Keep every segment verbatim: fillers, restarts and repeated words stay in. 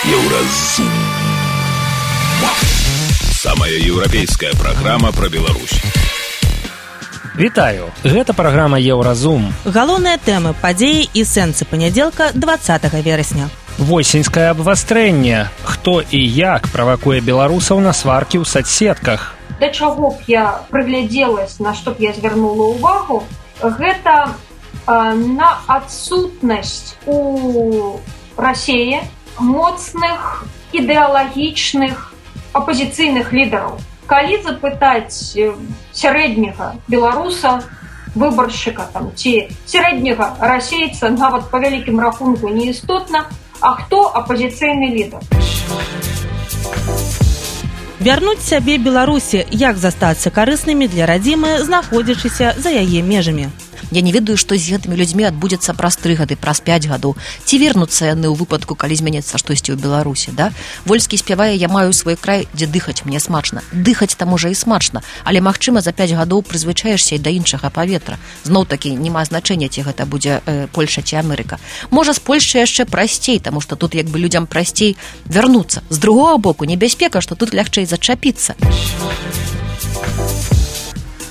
Еўразум. Самая еўрапейская праграма пра Беларусь. Вітаю, гэта праграма Еўразум. Галоўныя тэмы, падзеі і сэнсы панядзелка дваццатага верасня. Восеньскае абвастрэнне. Хто і як правакуе беларусаў на сваркі ў соцсетках? Да чаго б я прыглядзелась, на што б я звярнула ўвагу, гэта э, на адсутнасць у Расіі моцных ідэалагічных апазіцыйных лідараў. Калі запытаць сярэдняга беларуса, выбаршчыка там, ці сярэдняга расейца, нават па вялікім рахунку неістотна, а хто апазіцыйны лідар? Вярнуць сябе Беларусі, як застацца карыснымі для радзімы, знаходзячыся за яе межамі. Я не ведаю, што з гэтымі людзьмі адбудзецца праз тры гады, праз пяць гадоў. Ці вернуцца яны ў выпадку, калі зменіцца штосьці ў Беларусі, да? Вольскі спявае: «Я маю свой край, дзе дыхаць мне смачна». Дыхаць там можа і смачна, але, магчыма, за пяць гадоў прызвычаешся і да іншага паветра. Зноў-такі, няма значэння, ці гэта будзе э, Польша ці Амерыка. Можа, з Польшай яшчэ прасцей, таму што тут як бы людзям прасцей вярнуцца. З другога боку, небяспека, што тут лягчэй зачапіцца.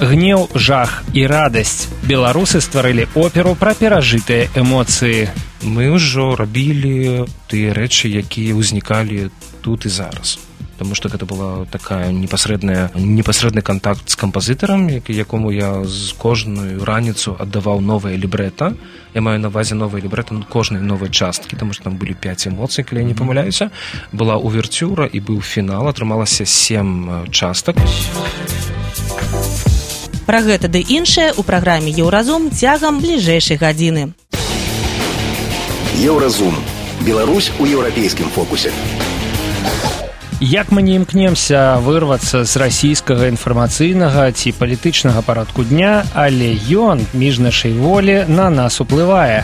Гнеў, жах і радасць. Беларусы стварылі оперу пра перажытыя эмоцыі. Мы ўжо рабілі тыя рэчы, якія ўзнікалі тут і зараз. Таму што гэта была такая непасрэдная, непасрэдны кантакт з кампазітарам, якому я з кожную раніцу аддаваў новае лібрэта. Я маю на ўвазе новае лібрэта кожнай новай часткі, таму што там былі пяць эмоцый, калі я не памыляюся. Была увертюра і быў фінал, атрымалася сем частак. Пра гэта ды іншае ў праграме Еўразум цягам бліжэйшай гадзіны. Еўразум. Беларусь у еўрапейскім фокусе. Як мы не імкнемся вырвацца з расійскага інфармацыйнага ці палітычнага парадку дня, але ён, між нашай волі, на нас уплывае.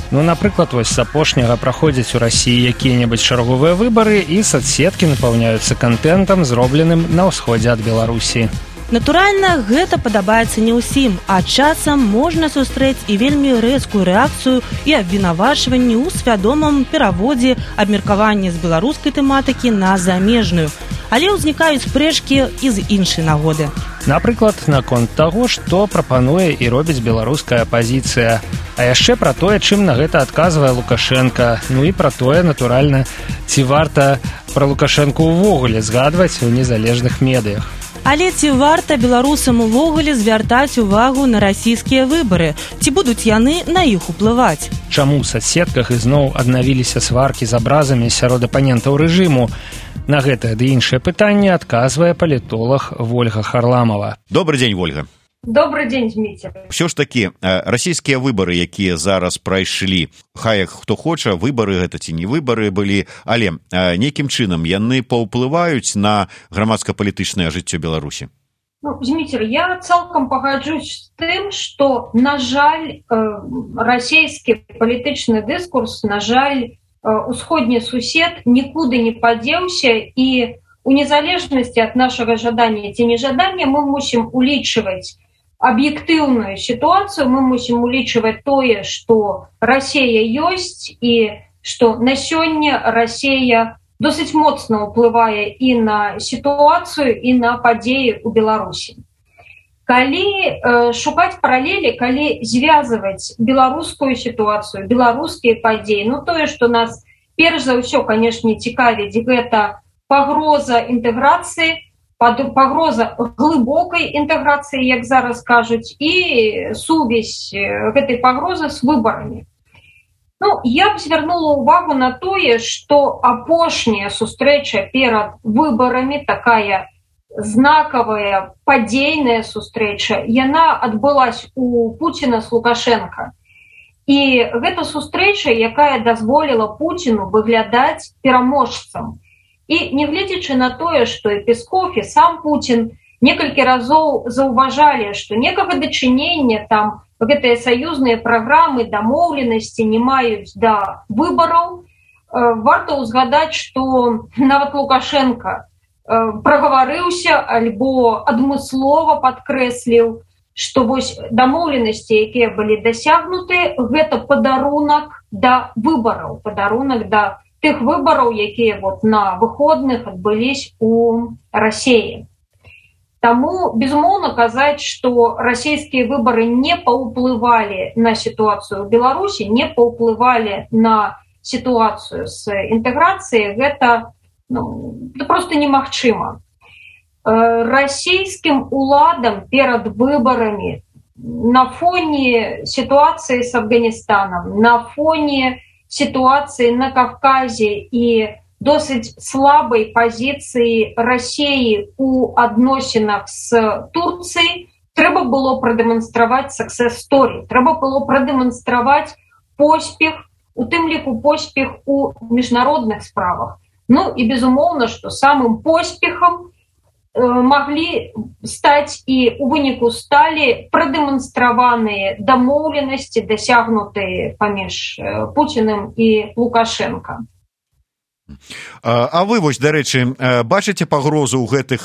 Ну, напрыклад, вось з апошняга праходзяць у Расіі якія-небудзь чарговыя выбары, і соцсеткі напаўняюцца кантэнтам, зробленым на ўсходзе ад Беларусі. Натуральна, гэта падабаецца не ўсім, а часам можна сустрэць і вельмі рэзкую рэакцыю і абвінавачванні ў свядомым пераводзе абмеркавання з беларускай тэматыкі на замежную. Але ўзнікаюць спрэчкі і з іншай нагоды. Напрыклад, наконт таго, што прапануе і робіць беларуская апазіцыя. А яшчэ пра тое, чым на гэта адказвае Лукашенка. Ну і пра тое, натуральна, ці варта пра Лукашенку ўвогуле згадваць у незалежных медыях. Але ці варта беларусам увогуле звяртаць увагу на расійскія выбары? Ці будуць яны на іх уплываць? Чаму ў соцсетках ізноў аднавіліся сваркі з абразамі сярод апанентаў рэжыму? На гэтае ды іншае пытанне адказвае палітолог Вольга Харламова. Добрый дзень, Вольга. Добрый дзень, Зміцер. Все ж такі, расійскія выбары, якія зараз прайшлі, хай хто хоча, выбары гэта ці не выбары былі, але нейкім чынам яны паўплываюць на грамадска-палітычнае жыццё Беларусі? Ну, Зміцер, я цалкам пагаджусь з тым, што, на жаль, расійскі палітычны дыскурс, на жаль, усходні сусед нікуды не падзеўся, і у незалежнасці ад нашага жадання ці нежадання мы мусім улічваць аб'ектыўную сітуацыю, мы мусім улічваць тое, што Расія ёсць і што на сёння Расія досыць моцна ўплывае і на сітуацыю, і на падзеі ў Беларусі. Калі э, шукаць паралелі, калі звязваць беларускую сітуацыю, беларускія падзеі, ну тое, што нас перш за ўсё, канешне, цікавіць, гэта пагроза інтэграцыі, пагроза глыбокай інтэграцыі, як зараз кажуць, і сувязь гэтай пагрозы з выбарамі. Ну, я б звярнула ўвагу на тое, што апошняя сустрэча перад выбарамі, такая знакавая падзейная сустрэча, яна адбылась у Пуціна з Лукашенка. І гэта сустрэча, якая дазволіла Пуціну выглядаць пераможцам. І нягледзячы на тое, што і Песков, і сам Пуцін некалькі разоў заўважалі, што некага дачынення там гэтыя саюзныя праграмы, дамоўленасці не маюць да выбараў, варта ўзгадаць, што нават Лукашенка прагаварыўся альбо адмыслова падкрэсліў, што вось дамоўленасці, якія былі дасягнуты, гэта падарунак да выбараў, падарунак да тых выбараў, якія вот на выходных адбылись у России. Таму, безумоўна, казаць, што расійскія выбары не паўплывалі на сітуацыю ў Беларусі, не паўплывалі на сітуацыю з інтэграцыяй, гэта, ну, это просто немагчыма. Расійскім уладам перад выбарамі на фоне ситуации с Афганистаном, на фоне ситуации на Кавказе и досыць слабой позиции России у адносінах с Турцией, трэба было продемонстраваць success story, трэба было продемонстраваць поспех, у тым ліку поспех у міжнародных справах. Ну и безумоўна, что самым поспехом могли стаць і у выніку сталі прадэманстраваныя дамоўленасці, дасягнутыя паміж Пуціным і Лукашенко. А вы, вось, дарэчы, бачыце пагрозу ў гэтых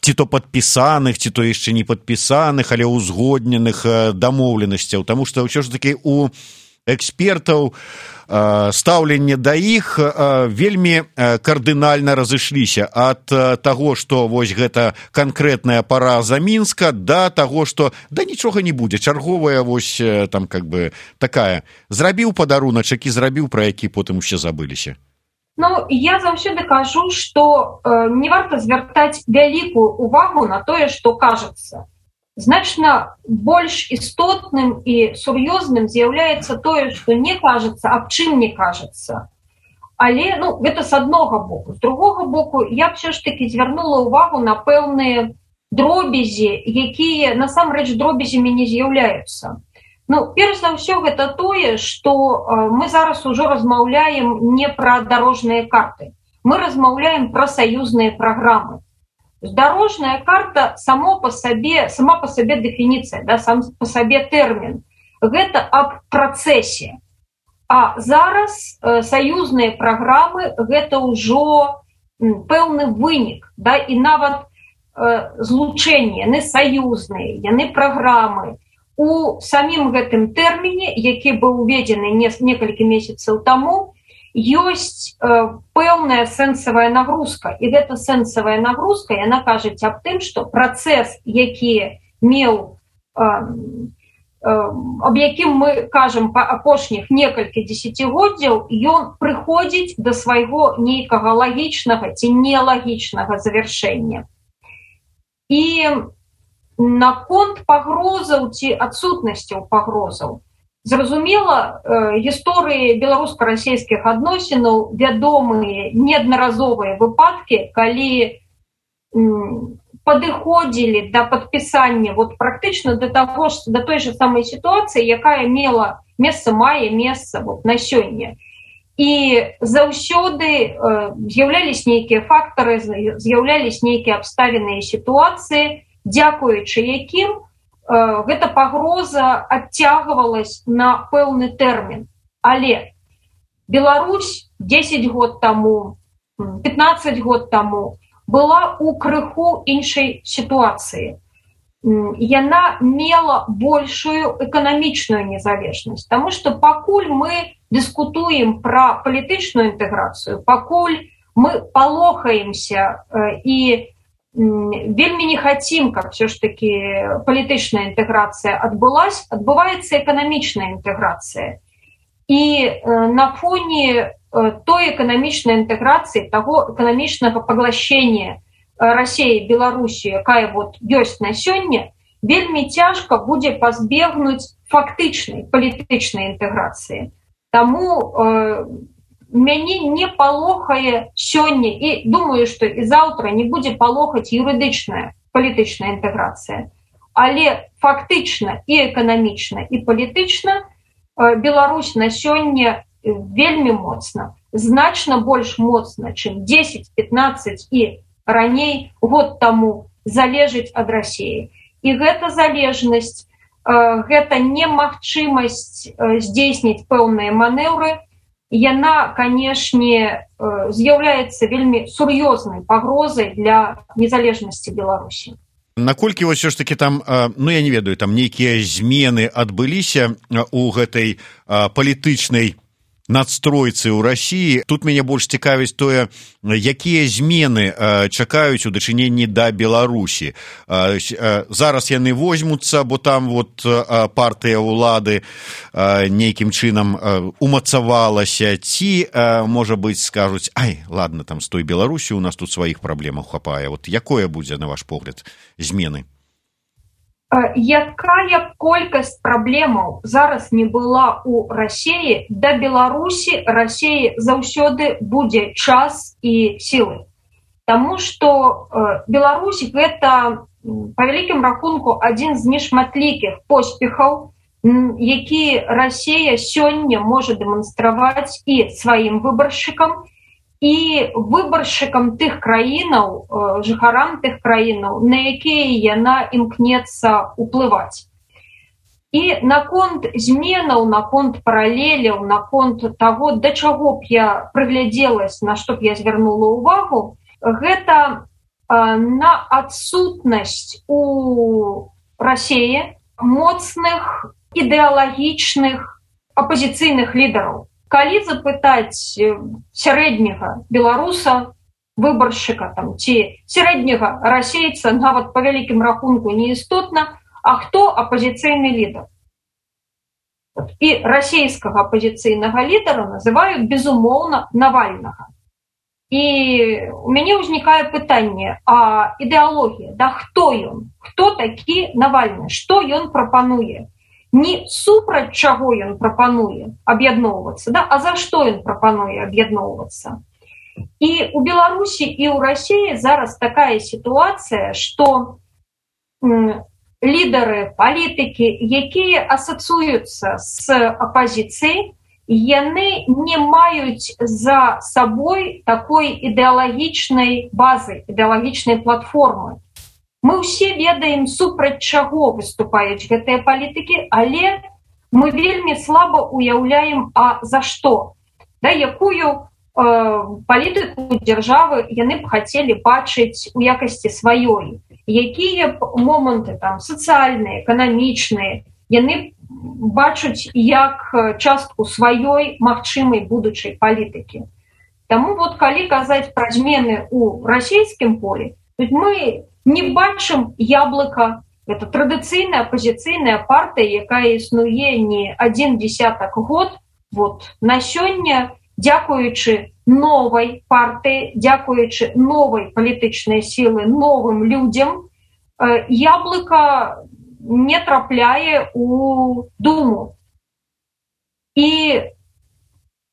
ці то падпісаных, ці то яшчэ не падпісаных, але ўзгодненых дамоўленасцяў, таму што ўсё ж такі у экспертаў стаўленне да іх вельмі кардынальна разышліся ад таго, што вось гэта канкрэтная параза Мінска, да таго, што да нічога не будзе, чарговая вось там как бы такая, зрабіў падаруначак і зрабіў, пра які потым усе забыліся. Ну, я заўсёды кажу, што э, не варта звяртаць вялікую увагу на тое, што кажацца. Значна больш істотным і сур'ёзным з'яўляецца тое, што не кажацца, аб чым не кажацца. Але, ну, гэта з аднога боку. З другога боку, я б ўсё ж такі звярнула ўвагу на пэўныя дробязі, якія насамрэч дробязямі не з'яўляюцца. Ну, перш за ўсё, гэта тое, што э, мы зараз ужо размаўляем не пра дарожныя карты. Мы размаўляем пра саюзныя праграмы. Дорожная карта само по себе, сама по себе дефиниция, да, сам по себе термин. Это об процессе. А зараз э, союзные программы это уже пэўны вынік, да, и нават э, злучение, яны союзныя, яны программы. У самім гэтым тэрміне, які быў уведзены некалькі месяцаў таму, ёсць э, пэўная сэнсавая нагрузка. І гэта сэнсавая нагрузка, яна кажуць аб тым, што працэс, які меў, э, э, аб якім мы кажам па апошніх некалькі дзесяцігоддзяў, ён прыходзіць да свайго нейкага лагічнага ці нелагічнага завяршэння. І наконт пагрозаў ці адсутнасцяў пагрозаў, зразумела, гісторыі беларуска-расійскіх адносінаў вядомыя неаднаразовыя выпадкі, калі падыходзілі да падпісання вот практычна да таго ж, да той же самай сітуацыі, якая мела месца, мае месца вот на сёння. І заўсёды з'яўляліся нейкія фактары, з'яўляліся нейкія абставіны і сітуацыі, дзякуючы якім гэта пагроза адцягвалась на пэўны тэрмін. Але Беларусь дзесяць год таму, пятнаццаць год таму была ў крыху іншай сітуацыі. Яна мела большую эканамічную незалежнасць, таму што пакуль мы дыскутуем пра палітычную інтэграцыю, пакуль мы палохаемся і вельмі не хотим, как все ж таки палітычная інтэграцыя адбылась, адбываецца эканамічная інтэграцыя. І э, на фоне э, той эканамічнай інтэграцыі, таго эканамічнага паглощення России, Беларусі, якая вот ёсць на сёння, вельмі цяжка будзе пазбегнуць фактычнай палітычнай інтэграцыі. Таму э, мяне не палохае сёння, і думаю, што і заўтра не будзе палохаць юрыдычная палітычная інтэграцыя. Але фактычна і эканамічна, і палітычна Беларусь на сёння вельмі моцна, значна больш моцна, чым дзесяць пятнаццаць і раней год таму залежыць ад Расіі. І гэта залежнасць, гэта немагчымасць здзейсніць пэўныя манеўры, яна, канешне, з'яўляецца вельмі сур'ёзнай пагрозай для незалежнасці Беларусі. Наколькі вось ўсё ж такі там, ну я не ведаю, там нейкія змены адбыліся у гэтай палітычнай надстройцы ў Расіі. Тут мяне больш цікавіць тое, якія змены чакаюць у дачыненні да Беларусі. Зараз яны возьмуцца, бо там вот партыя ўлады нейкім чынам умацавалася, ці, можа быць, скажуць, ай, ладно, там з той Беларусі у нас тут сваіх праблемаў хапае. Вот якое будзе, на ваш погляд, змены? Якая колькасць праблемаў зараз не была ў Расіі, да Беларусі Расіі заўсёды будзе час і сілы. Таму што Беларусь гэта, па вялікім рахунку, адзін з нешматлікіх поспехаў, які Расія сёння можа дэманстраваць і сваім выбаршчыкам, і выбаршчыкам тых краінаў, жыхарам тых краінаў, на якія яна імкнецца ўплываць. І наконт зменаў, наконт паралеляў, наконт таго, да чаго б я прыглядзелась, на што б я звярнула ўвагу, гэта на адсутнасць у Расіі моцных ідэалагічных апазіцыйных лідараў. Калі запытаць сярэдняга беларуса, выбаршчыка там, ці сярэдняга расейца, нават па вялікім рахунку неістотна, а хто апазіцыйны лідар? І расійскага апазіцыйнага лідара называюць, безумоўна, Навальнага. І у мяне ўзнікае пытанне, а ідэалогія, да хто ён? Хто такі Навальны? Што ён прапануе? Не супраць чаго ён прапануе аб'ядноўвацца, да? А за што ён прапануе аб'ядноўвацца? І у Беларусі і ў Расіі зараз такая сітуацыя, што лідары, палітыкі, якія асацыююцца з апазіцыяй, яны не маюць за сабой такой ідэалагічнай базы, ідэалагічнай платформы. Мы ўсе ведаем, супраць чаго выступаюць гэтыя палітыкі, але мы вельмі слаба уяўляем, а за што? Да, якую э, палітыку дзяржавы яны б хацелі бачыць у якасці сваёй? Якія б моманты там сацыяльныя, эканамічныя яны бачаць як частку сваёй магчымай будучай палітыкі? Таму вот калі казаць пра змены ў расійскім полі, мы не бачым яблыка. Это традыцыйная апазіцыйная партыя, якая існуе не адзін дзесятак год. Вот на сёння, дзякуючы новай партыі, дзякуючы новай палітычнай сілы, новым людзям, яблыка не трапляе у Думу. І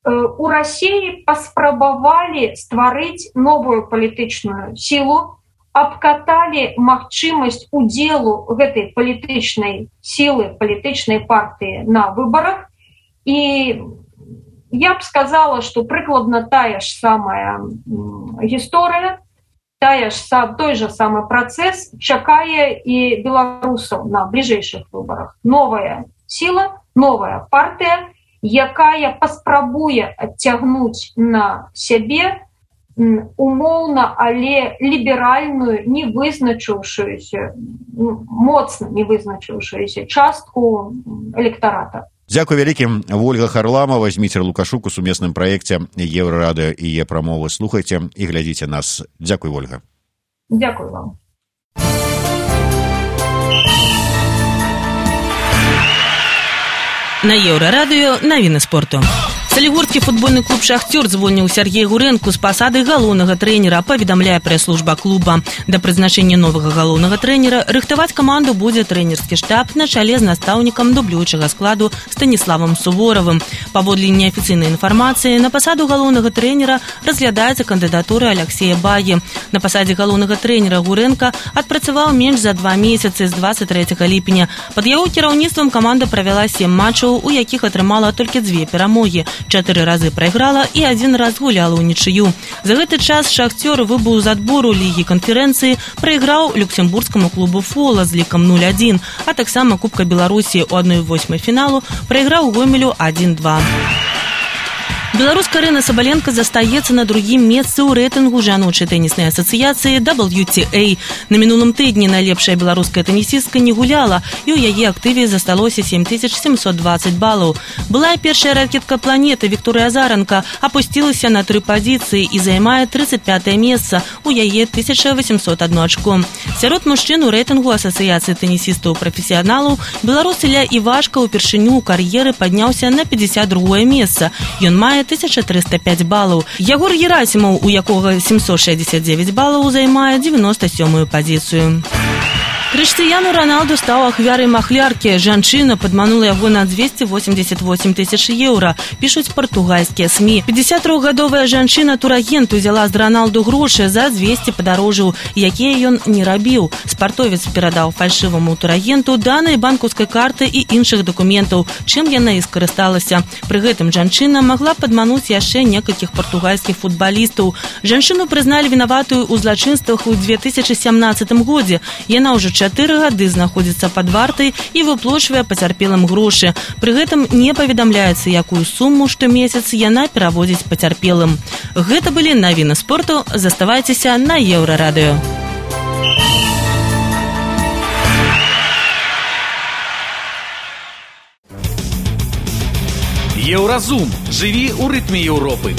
у Расіі паспрабавалі стварыць новую палітычную сілу, абкаталі магчымасць удзелу гэтай палітычнай сілы, палітычнай партыі на выбарах. І я б сказала, што прыкладна тая ж самая гісторыя, тая ж, той жа самы працэс чакае і беларусаў на бліжэйшых выбарах. Новая сіла, новая партыя, якая паспрабуе адцягнуць на сябе умоўна, але ліберальную, не вызначыўшуюся, моцна не вызначыўшуюся частку электарата. Дзякуй вялікім. Ольга Харламова, Зміцер Лукашук у сумесным праекце Еўрарадыё і Е-прамовы. Слухайце і глядзіце нас. Дзякуй, Ольга. Дзякуй вам. На Еўрарадыё навіны спорту. Салігорскі футбольны клуб «Шахтёр» звольніў Сергея Гурэнку з пасады галоўнага трэнера, паведамляе прэс-служба клуба. Да прызначэння новага галоўнага трэнера рыхтаваць каманду будзе трэнерскі штаб на чале з настаўнікам дублюючага складу Станіславам Суворавым. Паводле неафіцыйнай інфармацыі, на пасаду галоўнага трэнера разглядаецца кандыдатура Аляксея Багі. На пасадзе галоўнага трэнера Гурэнка адпрацаваў менш за два месяцы з дваццаць трэцяга ліпеня. Пад яго кіраўніцтвам каманда правяла сем матчаў, у якіх атрымала толькі дзве перамогі. Чатыры разы прайграла і адзін раз гуляла ў нічыю. За гэты час «Шахтёр» выбыў з адбору лігі канферэнцыі, прайграў люксембургскаму клубу «Фола» з лікам нуль адзін, а таксама Кубка Беларусі ў адной восьмай фіналу прайграў Гомелю адзін два. Беларуска Арына Сабаленко застаецца на другім месцы ў рэйтынгу жаночай тэніснай асацыяцыі дабл ю ти эй. На мінулым тыдні найлепшая беларуская тэнісістка не гуляла, і ў яе актыве засталося сем тысяч семьсот двадцать балаў. Былая першая ракетка планеты Вікторыя Азаранка апусцілася на тры пазіцыі і займае тридцать пятое месца, у яе тысяча восемьсот одно ачко. Сярод мужчын у рэйтынгу асацыяцыі тэнісістаў-прафесіяналаў беларус Ілля Івашка ўпершыню ў кар'еры падняўся на пятьдесят другое месца. Ён мае тысяча триста пять балаў. Ягор Герасимаў, у якога семьсот шестьдесят девять балаў, займае девяносто седьмую пазіцыю. Крыштыяну Роналду стаў ахвярай махляркі. Жанчына падманула яго на двести восемьдесят восемь тысяч еўра, пішуць партугальскія СМИ. пятьдесяттрохгадовая жанчына-турагент узяла з Роналду грошы за двести падарожжаў, якія ён не рабіў. Спартовец перадаў фальшываму турагенту даныя банкаўскай карты і іншых дакументаў, чым яна і скарысталася. Пры гэтым жанчына магла падмануць яшчэ некалькіх партугальскіх футбалістаў. Жанчыну прызналі вінаватую ў злачынствах у две тысячи семнадцатым годзе. Яна ўжо чатыры гады знаходзіцца пад вартай і выплочвае пацярпелым грошы. Пры гэтым не паведамляецца, якую суму штомесяц яна пераводзіць пацярпелым. Гэта былі навіны спорту. Заставайцеся на Еўрарадыё. Еўразум. Жыві ў рытме Еўропы.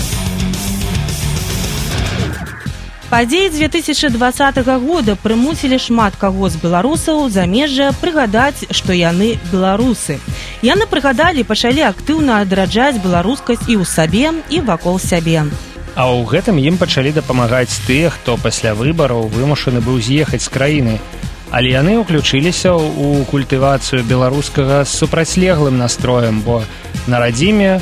Падзеі две тысячи двадцатого года прымусілі шмат каго з беларусаў замежжа прыгадаць, што яны беларусы. Яны прыгадалі, пачалі актыўна адраджаць беларускасць і ў сабе, і вакол сябе. А ў гэтым ім пачалі дапамагаць тыя, хто пасля выбараў вымушаны быў з'ехаць з краіны. Але яны ўключыліся ў культывацыю беларускага з супрацьлеглым настроем, бо на радзіме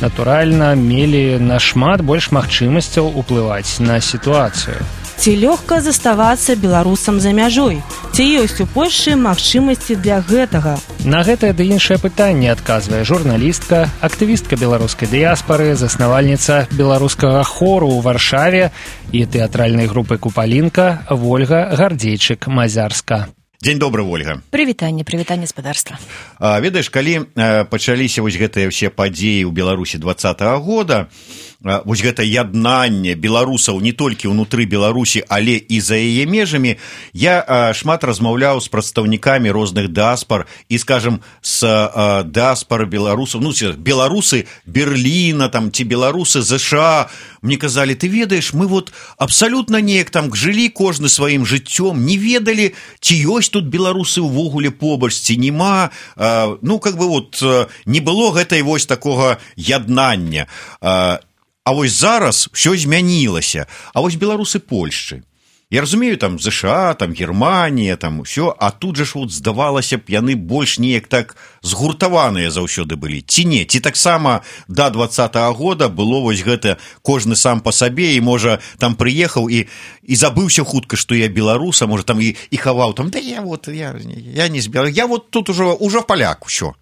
натуральна мелі нашмат больш магчымасцяў уплываць на сітуацыю. Ці лёгка заставацца беларусам за мяжой? Ці ёсць у Польшчы магчымасці для гэтага? На гэтае ды іншае пытанне адказвае журналістка, актывістка беларускай дыяспары, заснавальніца беларускага хору ў Варшаве і тэатральнай групы «Купалінка» Вольга Гардзейчык-Мазярска. Дзень добры, Вольга. Прывітанне, прывітанне спадарства. А, ведаеш, калі а, пачаліся вось гэтыя ўсе падзеі ў Беларусі двадцатого года, а, вось гэта яднанне беларусаў не толькі ўнутры Беларусі, але і за яе межамі, я а, шмат размаўляў з прадстаўнікамі розных дыаспар і, скажем, з а, дыаспары беларусаў, ну, беларусы Берліна, там, ці беларусы ЗША. Мне казалі, ты ведаеш, мы вот абсалютна неяк там жылі кожны сваім жыццём, не ведалі, ці ёсць тут беларусы ўвогуле побач, ці нема, а, ну, как бы вот не было гэтай вось такога яднання. А, а вось зараз ўсё змянілася. А вось беларусы Польшчы. Я разумею, там ЗША, там Германія, там усё, а тут жа ж вот здавалася б, яны больш неяк так згуртаваныя заўсёды былі. Ці не, ці таксама да двадцатого года было вось гэта кожны сам па сабе, і можа там прыехаў і, і забыўся хутка, што я беларус, а можа там і, і хаваў там, да я вот, я, я не збіраю, я вот тут ужо, ужо паляк, усё.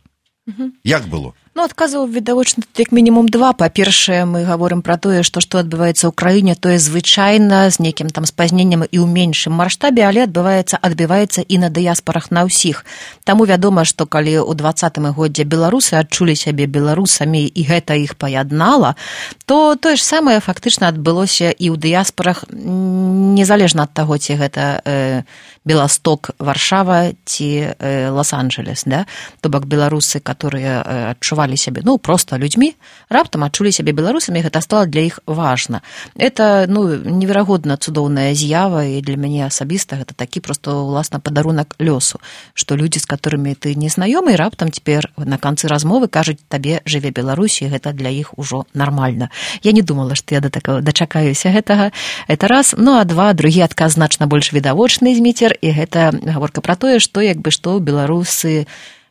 Угу. Як было? Ну, адказаў відавочна тут як мінімум два. Па-першае, мы гаворым пра тое, што што адбываецца ў краіне, тое звычайна з нейкім там спазненнем і ў меншым маштабе, але адбываецца, адбіваецца і на дыяспарах на ўсіх. Таму вядома, што калі ў двадцатым годзе беларусы адчулі сябе беларусамі і гэта іх паяднала, то тое ж самае фактычна адбылося і ў дыяспарах, незалежна ад таго, ці гэта э, Беласток, Варшава ці э, Лос-Анджелес, да? То бок беларусы, которые э, адчувалі сябе, ну, просто людзьмі, раптам адчулі сябе беларусамі, гэта стала для іх важна. Это, ну, неверагодна цудоўная з'ява, і для мяне асабіста гэта такі просто, уласна, падарунак лёсу, што людзі, з которымі ты не знаёмы, раптам цяпер на канцы размовы кажуць табе жыве Беларусь, і гэта для іх ужо нармальна. Я не думала, што я да такого дачакаюся гэтага. Это раз. Ну, а два, другі адказ значна больш відавочны, Зміцер, і гэта гаворка пра тое, што як бы што беларусы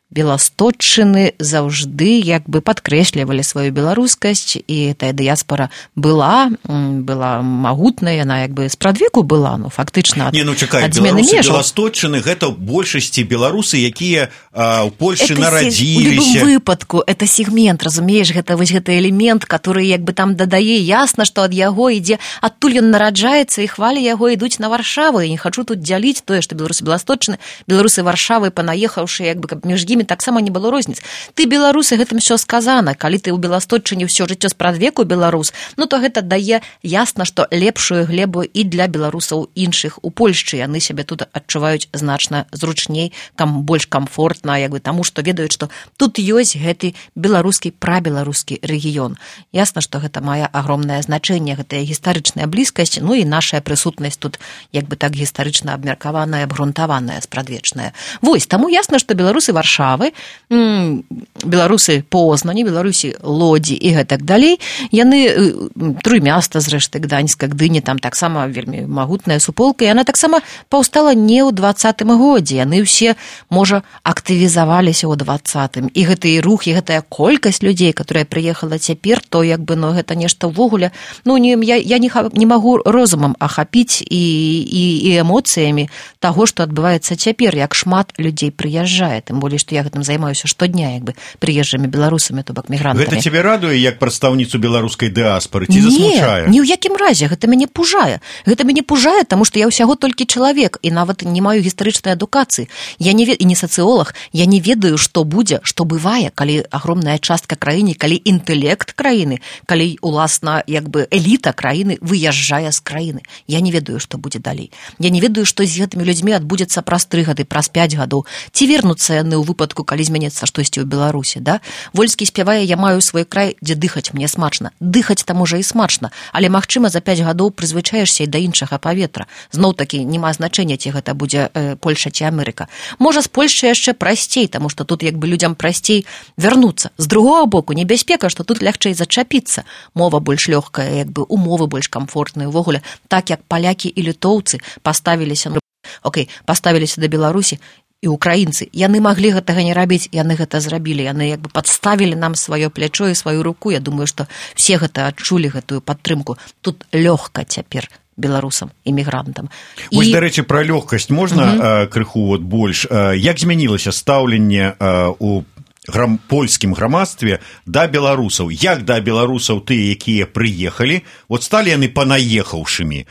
беласточчыны заўжды як бы падкрэслівалі сваю беларускасць, і тая дыяспара была, была магутная, яна як бы спрадвеку была, ну, фактычна ад, не, ну, чакай, ад змены беларусы межаў. Беласточчыны гэта ў большасці беларусы, якія а, ў Польшчы это нарадзіліся. У любым выпадку, это сегмент, разумееш, гэта вось гэты элемент, который як бы там дадае, ясна, што ад яго ідзе, адтуль ён нараджаецца, і хвалі яго ідуць на Варшаву, і не хачу тут дзяліць тое, што беларусы беласточчыны, беларусы Варшавы, панаехаўшы, як бы, каб між імі імі таксама не было розніц. Ты беларусы, гэтым все сказана, калі ты ў Беласточчыне ўсё жыццё спрадвеку беларус, ну то гэта дае ясна, што лепшую глебу і для беларусаў іншых у Польшчы. Яны сябе тут адчуваюць значна зручней, кам больш камфортна, як бы таму, што ведаюць, што тут ёсць гэты беларускі прабеларускі рэгіён. Ясна, што гэта мае агромнае значэнне, гэтая гістарычная блізкасць, ну і нашая прысутнасць тут як бы так гістарычна абмеркаваная, абгрунтаваная, спрадвечная. Вось, таму ясна, што беларусы Варшавы, беларусы Познані, беларусы Лодзі і гэтак далей, яны Трымяста, зрэшты, Гданьска, Гдыні, там таксама вельмі магутная суполка, і яна таксама паўстала не ў дваццатым годзе, яны ўсе, можа, актывізаваліся ў дваццатым. І гэты рух, і гэтая колькасць людзей, которая прыехала цяпер, то як бы, ну, гэта нешта ўвогуле, ну, не, я, я не, не магу розумам ахапіць і, і, і эмоцыямі таго, што адбываецца цяпер, як шмат людзей прыязджае, тым болей, што я гэтым займаюся штодня, як бы, прыезджымі беларусамі, то бок мігрантамі. Гэта цябе радуе, як прадстаўніцу беларускай дыаспары, ці засмучае? Не, ні ў якім разе, гэта мяне пужае. Гэта мяне пужае, таму што я ўсяго толькі чалавек, і нават не маю гістарычнай адукацыі. Я не вед... і не сацыолог, я не ведаю, што будзе, што бывае, калі агромная частка краіны, калі інтэлект краіны, калі, уласна, як бы эліта краіны выязджае з краіны. Я не ведаю, што будзе далей. Я не ведаю, што з гэтымі людзьмі адбудзецца праз тры гады, праз пяць гадоў. Ці вернуцца яны ў выпадку, калі зменіцца штосьці ў Беларусі, да? Вольскі спявае: «Я маю свой край, дзе дыхаць мне смачна». Дыхаць там можа і смачна, але, магчыма, за пяць гадоў прызвычаешся і да іншага паветра. Зноў-такі няма значэння, ці гэта будзе э, Польша ці Амерыка. Можа, з Польшчы яшчэ прасцей, таму што тут як бы людзям прасцей вярнуцца. З другога боку, небяспека, што тут лягчэй зачапіцца. Мова больш лёгкая, як бы умовы больш камфортныя. Увогуле, так як палякі і літоўцы паставіліся, ну, окей, паставіліся да Беларусі, і украінцы, яны маглі гэтага не рабіць, яны гэта зрабілі, яны як бы падставілі нам сваё плячо і сваю руку. Я думаю, што все гэта адчулі, гэтую падтрымку. Тут лёгка цяпер беларусам, эмігрантам. Вось, і... дарэчы, пра лёгкасць можна uh -huh. крыху вот больш? Як змянілася стаўленне у грам... польскім грамадстве да беларусаў? Як да беларусаў тыя, якія прыехалі, вот сталі яны панаехаўшымі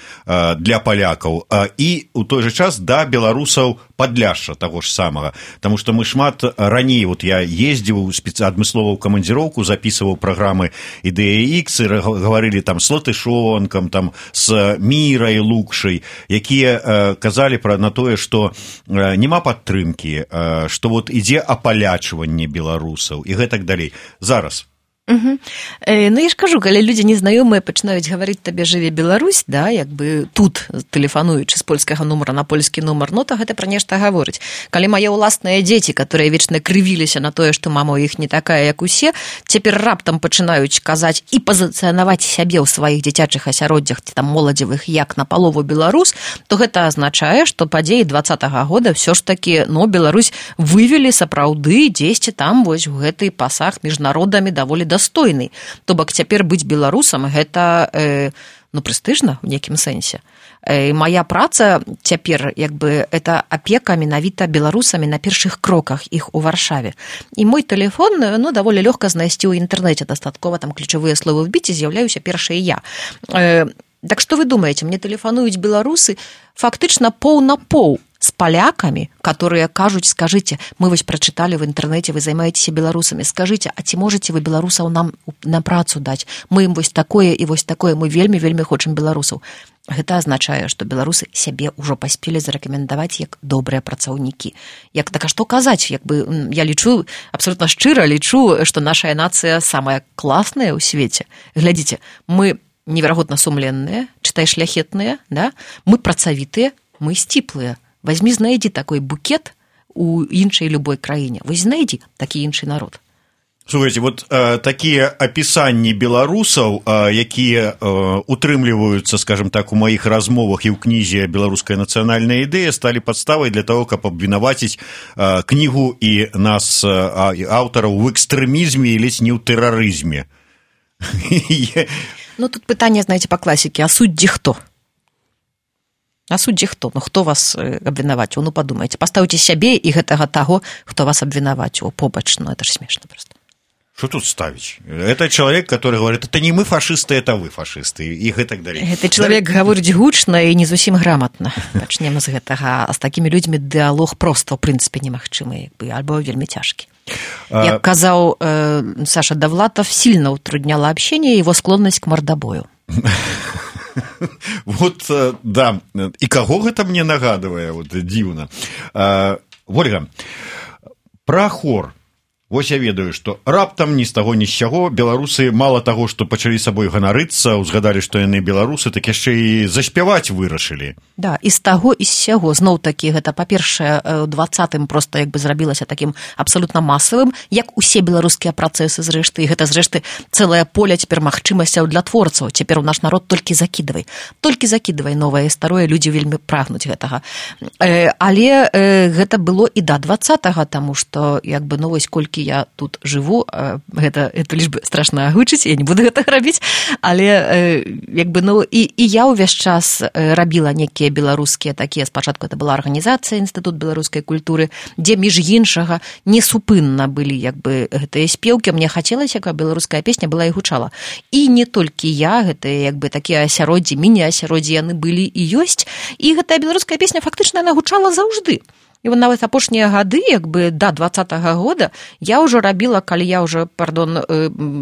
для палякаў, і у той жа час да беларусаў Падляшша таго ж самага, таму што мы шмат раней, вот я ездзіў спецыяльна адмыслова ў камандзіроўку, запісываў праграмы «Ідэя Ікс», і гаварылі там з Латышонкам, там з Мірай Лукшай, якія э, казалі пра на тое, што э, няма падтрымкі, э, што вот ідзе апалячванне беларусаў і гэтак далей. Зараз Угу. Э, ну, я ж кажу, калі людзі незнаёмыя пачынаюць гаварыць табе «Жыве Беларусь», да, як бы тут, тэлефануючы з польскага нумара на польскі нумар, ну, то гэта пра нешта гаворыць. Калі мае ўласныя дзеці, которые вечна крывіліся на тое, што мама ў іх не такая, як усе, цяпер раптам пачынаюць казаць і пазіцыянаваць сябе ў сваіх дзіцячых асяроддзях, ці там моладзевых, як на палову беларус, то гэта азначае, што падзеі дваццатага года ўсё ж такі, ну, Беларусь вывелі сапраўды дзесьці там вось у гэты пасаг між народамі даволі да достойны. То бок цяпер быць беларусам гэта э, ну, прэстыжна ў нейкім сэнсе. Э, моя праца цяпер як бы это апека менавіта беларусамі на першых кроках іх у Варшаве. І мой тэлефон, ну, даволі лёгка знайсці ў інтэрнэце, дастаткова там ключавыя словы вбіць, і з'яўляюся першая я. Э, так што вы думаеце, мне тэлефануюць беларусы фактычна поў на поў с поляками, которые кажуць: скажите, мы вось прочитали в интернете, вы займаетеся беларусамі, скажите, а ці можете вы беларусаў нам на працу даць? Мы ім вось такое і вось такое, мы вельмі-вельмі хочам беларусаў. Гэта азначае, што беларусы сябе ўжо паспелі зарэкамендаваць як добрыя працаўнікі. Як так, а што казаць? Як бы я лічу, абсолютно шчыра лічу, што наша нацыя самая класная ў свеце. Глядзіце, мы неверагодна сумленныя, чытай шляхетныя, да? Мы працавітыя, мы сціплыя. Возьми, знайдзі такой букет у іншай любой краіне. Вось знайдзі такі іншы народ. Слухайте, вот э, такія апісанні беларусаў, э, якія э, утрымліваюцца, скажем так, у маіх размовах і ў кнізе «Беларуская нацыянальная ідэя», сталі падставай для того, каб абвінаваціць э, кнігу і нас, э, аўтараў, в экстрэмізме і ледзь не ў тэрарызме. Ну, тут пытанне, знаете, па класіке, а суддзі хто? А суддзі хто? Ну, хто вас абвінаваціў? Ну, падумайце, пастаўце сябе і гэтага таго, хто вас абвінаваціў побач. Ну, это ж смешна проста. Что тут ставить? Это человек, который говорит, это не мы фашисты, это вы фашисты, и так далее. Это человек да... говорит гучно и не зусім грамотно. Начнем с гэтага. А с такими людьми диалог просто, в принципе, немагчымы, альбо вельмі цяжкі. Як казаў э, Саша Довлатов, сильно утрудняла общение его склонность к мордобою. Вот, да. И кого гэта мне нагадывае, вот дзіўна. Ольга, про хор. Вось я ведаю, што раптам ні з таго ні з сяго беларусы мала таго, што пачалі сабой ганарыцца, узгадалі, што яны беларусы, так яшчэ і заспяваць вырашылі. Да, і з таго і з сяго. Зноў-такі гэта, па-першае, у двадцатым проста як бы зрабілася такім абсалютна масавым, як усе беларускія працэсы зрэшты, і гэта зрэшты цэлае поле цяпер магчымасцяў для творцаў. Цяпер у наш народ толькі закідвай. Толькі закідвай новае і старое, людзі вельмі прагнуць гэтага. Э, але э, гэта было і да двадцатага, таму што як бы ну вось колькі я тут жыву, гэта, гэта лишь бы страшна агучыць, я не буду гэта рабіць, але як бы, ну, і, і я ўвесь час рабіла некія беларускія такія, спачатку это была арганізацыя Інстытут беларускай культуры, дзе між іншага несупынна былі як бы гэтыя спеўкі, мне хацелася, каб беларуская песня была і гучала. І не толькі я, гэтыя як бы такія асяроддзі, міні-асяроддзі яны былі і ёсць, і гэтая беларуская песня фактычна яна гучала заўжды. І нават апошнія гады, як бы да двадцатага года, я ўжо рабіла, калі я ўжо, пардон,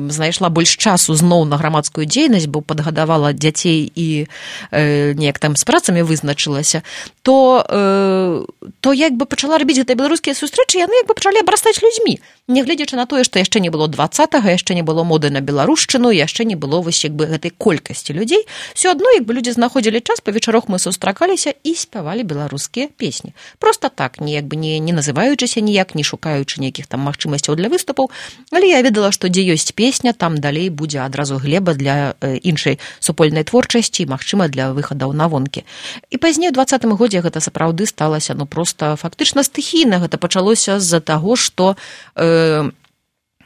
знайшла больш часу зноў на грамадскую дзейнасць, бо падгадавала дзяцей і э, неяк там з працамі вызначылася, то, э, то як бы пачала рабіць гэтыя беларускія сустрэчы, яны як бы пачалі абрастаць людзьмі. Нягледзячы на тое, што яшчэ не было двадцатага, яшчэ не было моды на беларушчыну, яшчэ не было вось як бы гэтай колькасці людзей, все адно як бы людзі знаходзілі час, па вечарах мы сустракаліся і спявалі беларускія песні. Проста так, не як бы не, не называючыся ніяк, не шукаючы нейкіх там магчымасцяў для выступаў, але я ведала, што дзе ёсць песня, там далей будзе адразу глеба для э, іншай супольнай творчасці, магчыма, для выхадаў на вонкі. І пазней у двадцатым годзе гэта сапраўды сталася, ну проста фактычна стыхійна, гэта пачалося з-за таго, што э,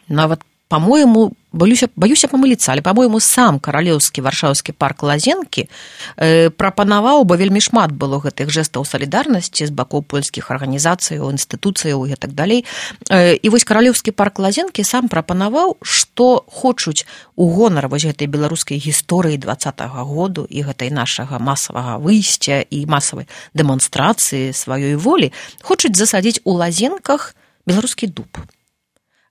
нават, по-моему, боюся, боюся памыліцца, але, по-моему, сам каралеўскі варшаўскі парк Лазенкі э, прапанаваў, бо вельмі шмат было гэтых жэстаў салідарнасці з бакоў польскіх арганізацыяў, інстытуцыяў і так далей. Э, і вось каралеўскі парк Лазенкі сам прапанаваў, што хочуць у гонар вось гэтай беларускай гісторыі двадцатага году і гэтай нашага масавага выйсця і масавай дэманстрацыі сваёй волі, хочуць засадзіць у Лазенках беларускі дуб.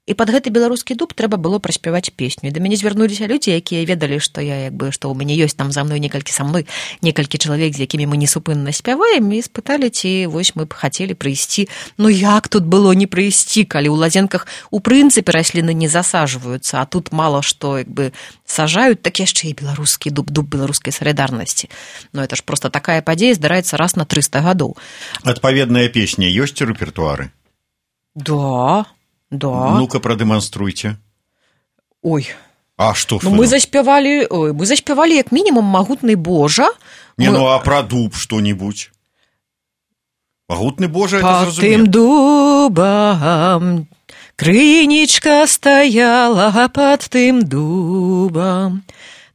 І пад гэты беларускі дуб трэба было праспяваць песню. І да мяне звярнуліся людзі, якія ведалі, што я як бы, што ў мяне ёсць там за мной некалькі са мной, некалькі чалавек, з якімі мы несупынна спяваем, і спыталі, ці вось мы б хацелі прыйсці. Ну як тут было не прыйсці, калі ў Лазенках у прынцыпе расліны не засаджваюцца, а тут мала што як бы сажаюць, так яшчэ і беларускі дуб, дуб беларускай салідарнасці. Ну это ж проста такая падзея здараецца раз на трыста гадоў. Адпаведная песня ёсць у рэпертуары? Да. Да. Ну-ка, продемонструйте. Ой. А что? Ну, мы заспевали, ой, мы заспевали як минимум «Могутный Божа». Не, мы... ну, а про дуб что-нибудь? «Могутный Божа» — это зразумело. Под тым дубом крынічка стаяла, под тым дубом.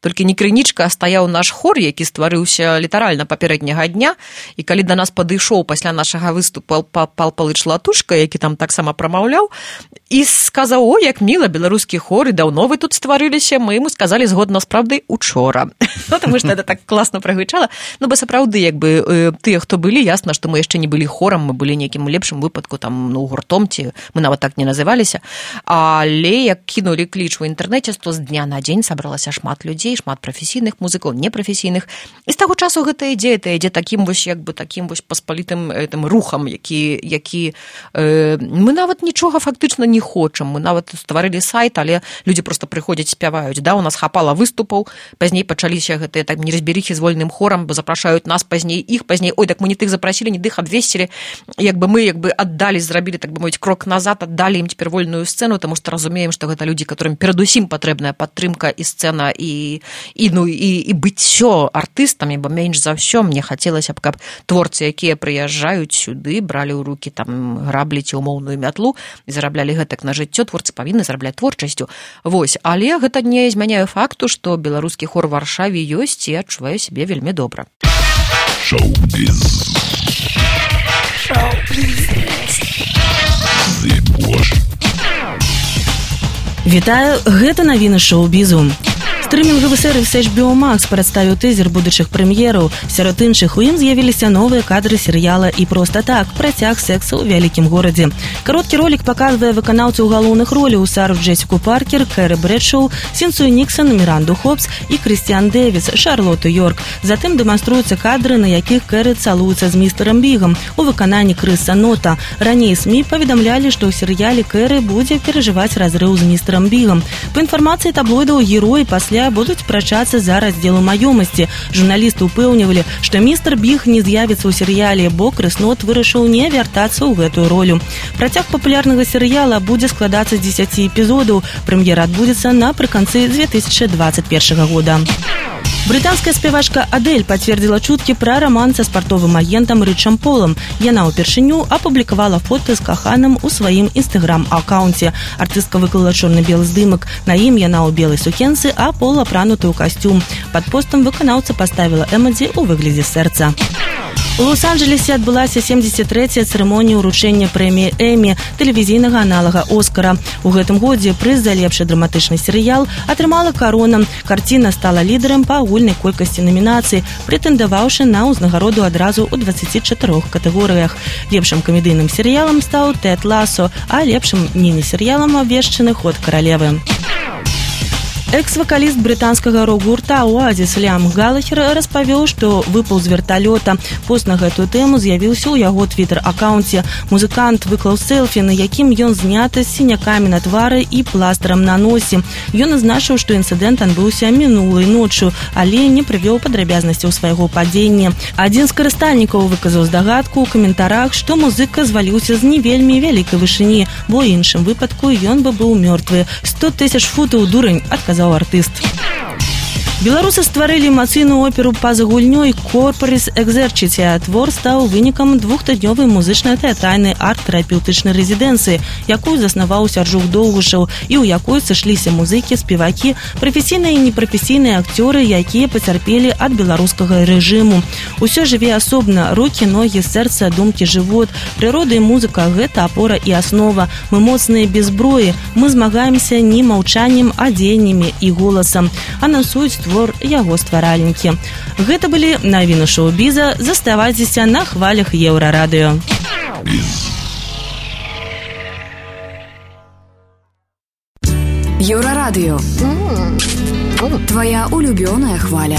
Толькі не крынічка, а стаяў наш хор, які стварыўся літаральна папярэдняга дня, і калі да нас падышоў пасля нашага выступу Пал Палыч Латушка, які там таксама прамаўляў, і сказаў: «О, як міла, беларускі хор, і даўно вы тут стварыліся», мы яму сказалі згодна з праўдай учора. Ну, таму што гэта так класна прагучала. Ну, бо сапраўды, як бы, тыя, хто былі, ясна, што мы яшчэ не былі хорам, мы былі нейкім лепшым выпадку, там, ну, гуртом, ці мы нават так не называліся. Але як кінулі кліч у інтэрнэце, то з дня на дзень сабралася шмат людзей, шмат прафесійных музыкаў, непрафесійных. І з таго часу гэта ідзе, гэта ідзе такім вось, як бы, такім вось паспалітым этим рухам, які, які э, мы нават нічога фактычна не хочам. Мы нават стварылі сайт, але людзі проста прыходзяць, спяваюць. Да, у нас хапала выступаў, пазней пачаліся гэтыя так неразберыхі з вольным хорам, бо запрашаюць нас, пазней іх, пазней, ой, так мы не тых запрасілі, не тых абвесцілі. Як бы мы, як бы, аддалі, зрабілі, так бы мовіць, крок назад, аддалі ім цяпер вольную сцэну, таму што разумеем, што гэта людзі, которым перадусім патрэбная падтрымка і сцэна, і і ну і і быццё артыстамі, бо менш за ўсё мне хацелася б, каб творцы, якія прыязджаюць сюды, бралі ў рукі там граблі ці умоўную мятлу і зараблялі гэтак на жыццё, творцы павінны зарабляць творчасцю. Вось, але гэта не змяняе факту, што беларускі хор у Варшаве ёсць і адчувае сябе вельмі добра. Шоу-біз. Шоу-біз. Вітаю, гэта навіны шоу-бізу. Стрымінгавы сервіс эйч би о Max прадставіў тызер будучых прэм'ераў. Сярод іншых у ім з'явіліся новыя кадры серыяла «І проста так» працяг секса ў вялікім горадзе. Кароткі ролік паказвае выканаўцаў галоўных роляў Сару Джесіку Паркер, Кэры Брэдшоу, Сінцыю Ніксон, Міранду Хопс і Крыстіан Дэвіс, Шарлоту Йорк. Затым дэманструюцца кадры, на якіх Кэры цалуецца з містэрам Бігам у выкананні Крыса Нота. Раней СМІ паведамлялі, што ў серыяле Кэры будзе перажываць разрыў з містэрам Бігам. Па інфармацыі таблоідаў, героі пасля будуць прачацца за раздзелу маёмасці. Журналісты ўпэўнівалі, што містер Біг не з'явіцца ў серыяле, бо Крыс Нот вырашыў не вяртацца ў гэтую ролю. Працяг папулярнага серыяла будзе складацца з дзесяці эпізодаў. Прэм'ера адбудзецца напрыканцы две тысячи двадцать первого года. Брытанская спявачка Адель пацвердзіла чуткі пра раман са спартовым агентам Рычам Полам. Яна ўпершыню апублікавала фота з каханым у сваім інстаграм-акаунце. Артыстка выклала чорна-белы здымак. На ім яна ў белай сукенцы, а Пол апрануты ў касцюм. Пад постам выканаўца паставіла эмадзі ў выглядзе сэрца. У Лос-Анджелесе адбылася семьдесят трэцяя цырымонія ўручэння прэміі Эмі, тэлевізійнага аналага Оскара. У гэтым годзе прыз за лепшы драматычны серыял атрымала «Карона». Карціна стала лідарам па агульнай колькасці намінацый, прэтэндаваўшы на ўзнагароду адразу ў дваццаці чатырох катэгорыях. Лепшым камедыйным серыялам стаў «Тэд Ласо», а лепшым міні-серыялам абвешчаны «Ход каралевы». Экс-вакаліст брытанскага рок-гурта «Оазіс» Ліам Галахер распавёў, што выпаў з верталёта. Пост на гэтую тэму з'явіўся ў яго твітер-акаунце. Музыкант выклаў селфі, на якім ён зняты з сінякамі на твары і пластырам на носе. Ён азначыў, што інцыдэнт адбыўся мінулай ноччу, але не прывёў падрабязнасцяў свайго падзення. Адзін з карыстальнікаў выказаў здагадку ў каментарах, што музыка зваліўся з не вельмі вялікай вышыні, бо ў іншым выпадку ён бы быў мёртвы. сто тысяч футаў, дурань, адказаў артыст. Беларусы стварылі эмацыйную оперу па-за гульнёй «Корпорис Экзерчития». Твор стаў вынікам двухтыднёвай музычна-тэатральнай арт-тэрапеўтычнай рэзідэнцыі, якую заснаваў Сяржук Доўгушаў, і ў якой сышліся музыкі, спевакі, прафесійныя і непрафесійныя акцёры, якія пацярпелі ад беларускага рэжыму. Усё жыве асобна: рукі, ногі, сэрца, думкі, жывот. Прырода і музыка – гэта апора і аснова. Мы моцныя без зброі, мы змагаемся не маўчаннем, а дзеяннямі і голасам. Анансуюць твор яго стваральнікі. Гэта былі навіны шоу-біза. Заставайцеся на хвалях Еўрарадыё. Еўрарадыё. Твоя улюбёная хваля.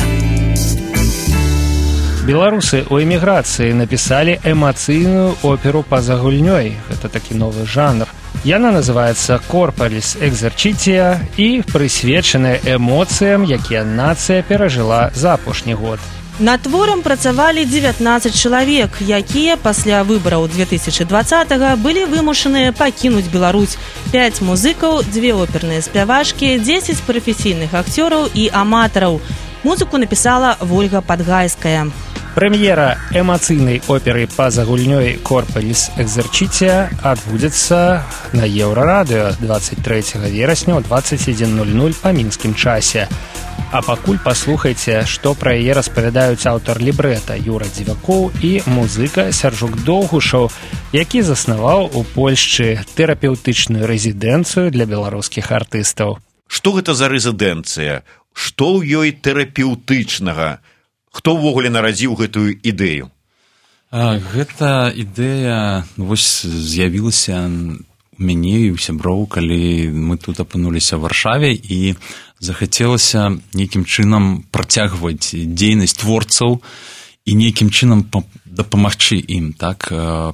Беларусы ў эміграцыі напісалі эмацыйную оперу па-за гульнёй. Гэта такі новы жанр. Яна называецца «Корпорис Экзерчития» і прысвечаная эмоцыям, якія нацыя перажыла за апошні год. Над творам працавалі дзевятнаццаць чалавек, якія пасля выбараў две тысячи двадцатого былі вымушаныя пакінуць Беларусь. Пяць музыкаў, дзве оперныя спявачкі, дзесяць прафесійных акцёраў і аматараў. Музыку напісала Вольга Падгайская. Прэм'ера эмацыйнай оперы па-за гульнёй «Корпорис Экзерчития» адбудзецца на Еўрарадыё двадцать трэцяга верасня ў двадцать адзін ноль ноль па мінскім часе. А пакуль паслухайце, што пра яе распавядаюць аўтар лібрэта Юра Дзівакоў і музыка Сяржук Доўгушаў, які заснаваў у Польшчы тэрапеўтычную рэзідэнцыю для беларускіх артыстаў. Што гэта за рэзідэнцыя? Што ў ёй тэрапеўтычнага? Хто ўвогуле нарадзіў гэтую ідэю? А, гэта ідэя вось з'явілася у мяне і ў сяброў, калі мы тут апынуліся ў Варшаве, і захацелася нейкім чынам працягваць дзейнасць творцаў і нейкім чынам дапамагчы ім. Так?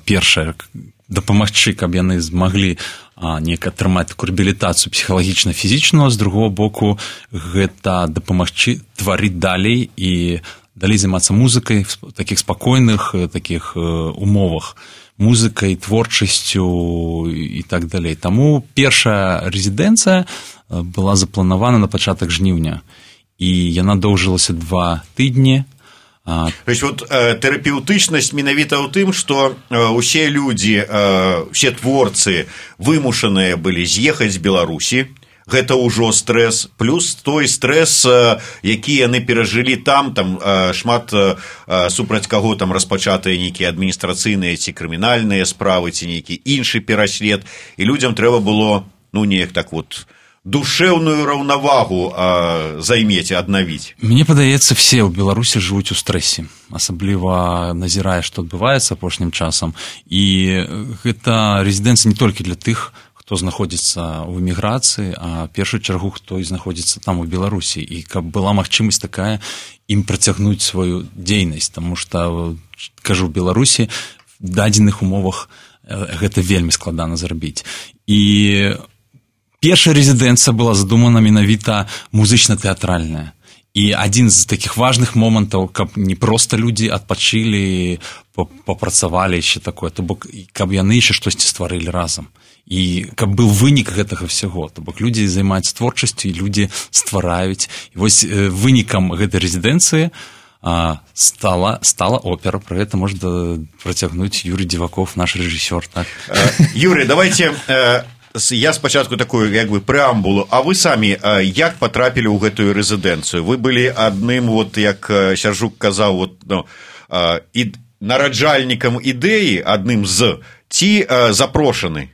Першае, дапамагчы, каб яны змаглі неяк атрымаць такую рэабілітацыю псіхалагічна-фізічную, з другого боку гэта дапамагчы тварыць далей і далей займацца музыкай в такіх спакойных такіх умовах, музыкай, творчасцю і так далей. Таму першая рэзідэнцыя была запланавана на пачатак жніўня, і яна доўжылася два тыдні. То есть вот э, тэрапеўтычнасць менавіта ў тым, што э, усе людзі, э, усе творцы вымушаныя былі з'ехаць з Беларусі. Гэта ўжо стрэс, плюс той стрэс, які яны перажылі там, там шмат супраць каго там распачатыя нейкія адміністрацыйныя ці крымінальныя справы, ці нейкі іншы пераслед, і людзям трэба было, ну, неяк так вот душевную раўнавагу а, займець, аднавіць? Мне падаецца, все ў Беларусі жывуць у стрэсе, асабліва назірае, што адбываецца апошнім часам. І гэта рэзідэнцыя не толькі для тых, хто знаходзіцца ў эміграцыі, а в першую чаргу, хто і знаходзіцца там у Беларусі. І каб была магчымасць такая, ім працягнуць сваю дзейнасць, таму што, кажу, в Беларусі в дадзеных умовах гэта вельмі складана зрабіць. І першая рэзідэнцыя была задумана менавіта музычна-тэатральная. І адзін з такіх важных момантаў, каб не проста людзі адпачылі, папрацавалі яшчэ такое, то бок, каб яны яшчэ штосьці стварылі разам. І каб быў вынік гэтага всяго, то бок людзі займаюцца творчасцю і людзі ствараюць. І вось вынікам гэтай рэзідэнцыі стала, стала опера. Про гэта можна працягнуць Юрий Дзіваков, наш рэжысёр. Так? Юрий, давайте... Я спачатку такую як бы преамбулу, а вы самі як потрапілі ў гэтую рэзідэнцыю? Вы былі адным, вот як Сяржук казаў, вот, ну, і нараджальнікам ідэі, адным з, ці запрошаны?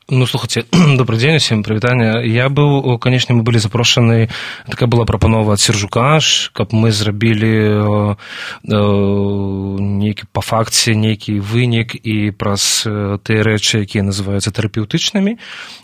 Ну, слухайте, добрый день, всем привітання. Я быў, конечно, мы былі запрошаны, такая была прапанова ад Сяржука, каб мы зрабілі нейкі, па факце нейкі вынік і праз тыя рэчы, якія называюцца тэрапеўтычнымі,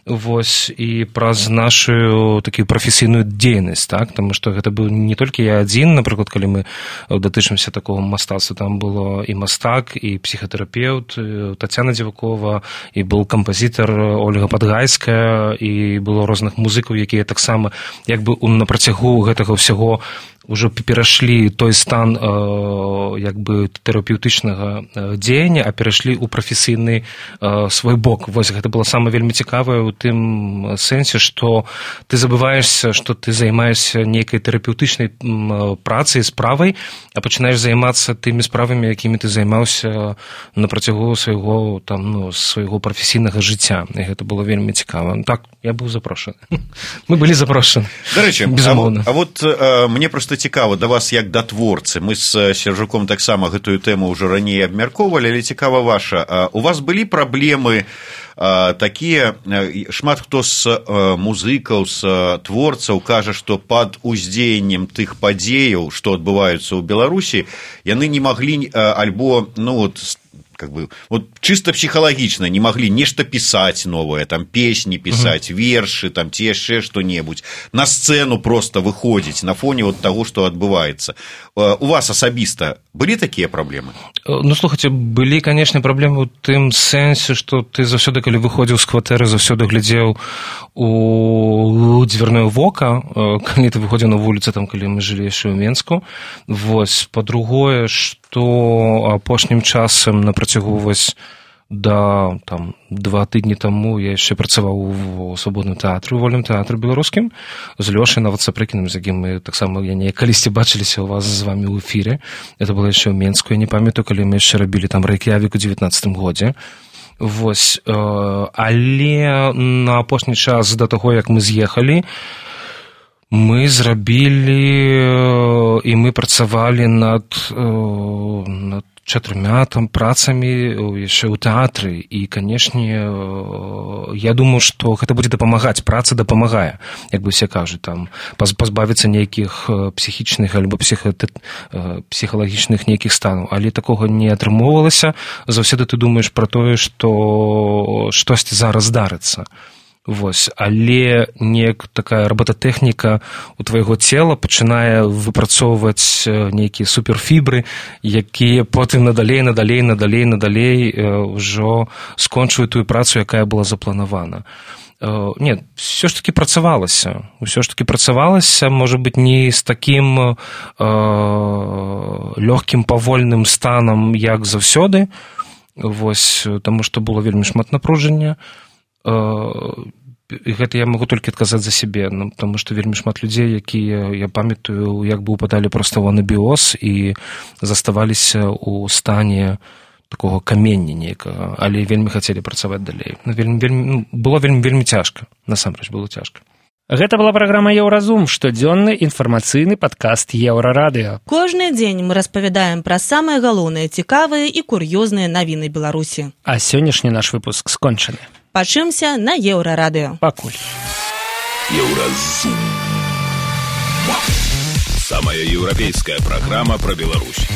вось, і праз нашу такую прафесійную дзейнасць, так, таму што гэта быў не толькі я адзін, напрыклад, калі мы датычымся такого мастацтва, там было і мастак, і псіхатэрапеўт, Тацяна Дзівакова, і был кампазітар Ольга Падгайская, і было розных музыкаў, якія таксама як бы на працягу гэтага ўсяго ўжо перайшлі той стан э, як бы тэрапеўтычнага дзеяння, а перайшлі ў прафесійны э, свой бок. Вось гэта было самае вельмі цікавае ў тым сэнсе, што ты забываешся, што ты займаешся нейкай тэрапеўтычнай працай, справай, а пачынаеш займацца тымі справамі, якімі ты займаўся на працягу свайго, там, ну, свайго прафесійнага жыцця. І гэта было вельмі цікава. Так, я быў запрошаны. Мы былі запрошаны. Дарэчы, безумоўна. А вот, а вот мне проста цікава да вас як да творцы. Мы з Сяржуком таксама гэтую тэму ўжо раней абмяркоўвалі, але цікава ваша. У вас былі праблемы такія, шмат хто з музыкаў, з творцаў кажа, што пад уздзеяннем тых падзеяў, што адбываюцца ў Беларусі, яны не маглі альбо, ну вот, как бы, вот чисто психологично не могли нечто писать новое, там, песни писать, uh-huh. верши, там, те яшчэ что-нибудь, на сцену просто выходить на фоне вот того, что отбывается. У вас асабіста былі такія праблемы? Ну, слухайте, былі, конечно, праблемы ў тым сэнсе, што ты заўсёды, калі выходзіў з кватэры, заўсёды глядзеў у дзвярное вока, калі ты выходзіў на вуліцу, там, калі мы жылі яшчэ ў Менску. Вось, па-другое, што апошнім часам на працягу вось да там два тыдні таму я яшчэ працаваў у свабодным тэатры, у вольным тэатры беларускім, з Лёшай нават Сапрыкіным, з якім мы таксама я не калісьці бачыліся ў вас з вамі ў эфіре. Это было яшчэ ў Менску, я не памятаю, калі мы яшчэ рабілі там Рэйк'явік у дзевятнаццатым годзе. Вось, але на апошні час да таго, як мы з'ехалі, мы зрабілі і мы працавалі над, над чатырма там працамі яшчэ ў тэатры, і, канешне, я думаю, што гэта будзе дапамагаць, праца дапамагае, як бы все кажуць, там, пазбавіцца нейкіх псіхічных альбо псіха... псіхалагічных нейкіх станаў, але такога не атрымоўвалася. Заўсёды ты думаеш пра тое, што штосьці зараз здарыцца. Вось, але неяк такая роботатэхніка у твайго цела пачынае выпрацоўваць нейкія суперфібры, якія потым надалей, надалей, надалей, надалей ўжо скончваюць тую працу, якая была запланавана. Не, все ж таки працавалася. Все ж таки працавалася, можа быць, не з такім э, лёгкім павольным станам, як заўсёды. Вось, таму што было вельмі шмат напружання. І гэта я магу толькі адказаць за сябе, ну, таму што вельмі шмат людзей, якія, я памятаю, як бы упадалі проста ў анабіоз і заставаліся ў стане такога камення нейкага, але вельмі хацелі працаваць далей. Ну, вельмі, вельмі, ну, было вельмі, вельмі цяжка, насамрэч было цяжка. Гэта была праграма «Еўразум», штодзённы інфармацыйны падкаст Еўрарадыё. Кожны дзень мы распавядаем пра самыя галоўныя, цікавыя і кур'ёзныя навіны Беларусі. А сённяшні наш выпуск скончаны. Пачымся на Еўрарадыё. Пакуль. Еўразум. Самая европейская программа про Беларусь.